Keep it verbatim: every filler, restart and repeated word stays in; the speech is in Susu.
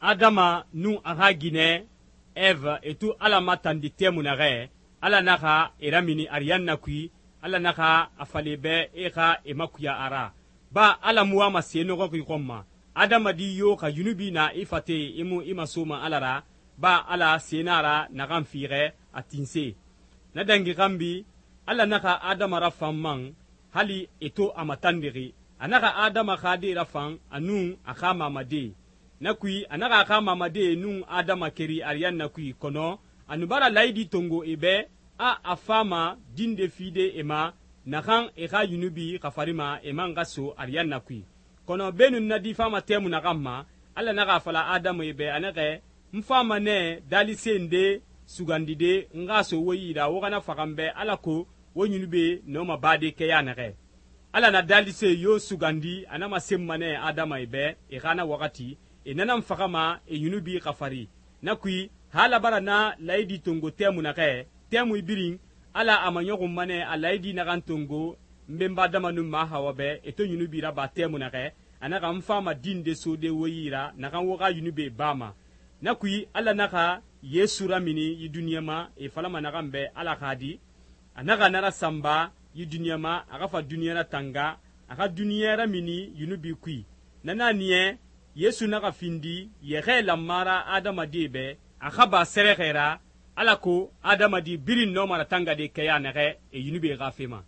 Adama nun a xa ginɛ Eve e to Ala matandi tɛmui naxɛ, Ala naxa e ramini ariyanna kui, Ala naxa a fala e bɛ e xa e makuya a ra. Ba Ala mu wama se nɔxɔxi xɔn ma. Adamadi yo xa yunubi na i fate i mu i masoma Ala ra, ba Ala se na a ra naxan fiixɛ a tinse. Na dangi xanbi, Ala naxa Adama rafan man hali e to a matandixi. A naxa Adama xa de rafan a nun a xa mamade. Na kui a naxa a xa mamade nun Adama keri ariyanna kui, kɔnɔ a nu bara laayidi tongo e bɛ a a fama dinde fide e ma naxan e xa yunubi xafarima e man xa so ariyanna kui. Kɔnɔ beenun na di fama tɛmui naxan ma, Ala naxa a fala Adama e bɛ a naxɛ, n fama nɛ daalise nde sugandide n xa so wo yi ra wo xana faxan bɛ alako wo yunubi nɔma bade kɛya naxɛ. Ala na daalise yo sugandi a na masenma nɛ Adama e bɛ e xa na waxati, e nanan faxama e yunubi xafari. Na kui ha Ala bara na laayidi tongo tɛmui naxɛ, tɛmui birin Ala a maɲɔxunma nɛ a laayidi naxan tongo n benba Adama nun ma Hawa bɛ e to yunubi raba tɛmui naxɛ, a naxa n fama dinde sode wo yi ra naxan wo xa yunubi bama. Na kui Ala naxa Yesu ramini yi duniɲa ma e falama naxan bɛ Ala xa di, a naxa na rasanba yi duniɲa ma a xa fa duniɲa ratanga, a xa duniɲa ramini yunubi kui. Na na niɲɛ Yesu naxa findi yɛxɛ lanmara adamadi bɛ a xa ba sɛrɛxɛ ra, alako adamadi birin nɔma ratangade kɛya naxɛ e yunubi xa fe ma.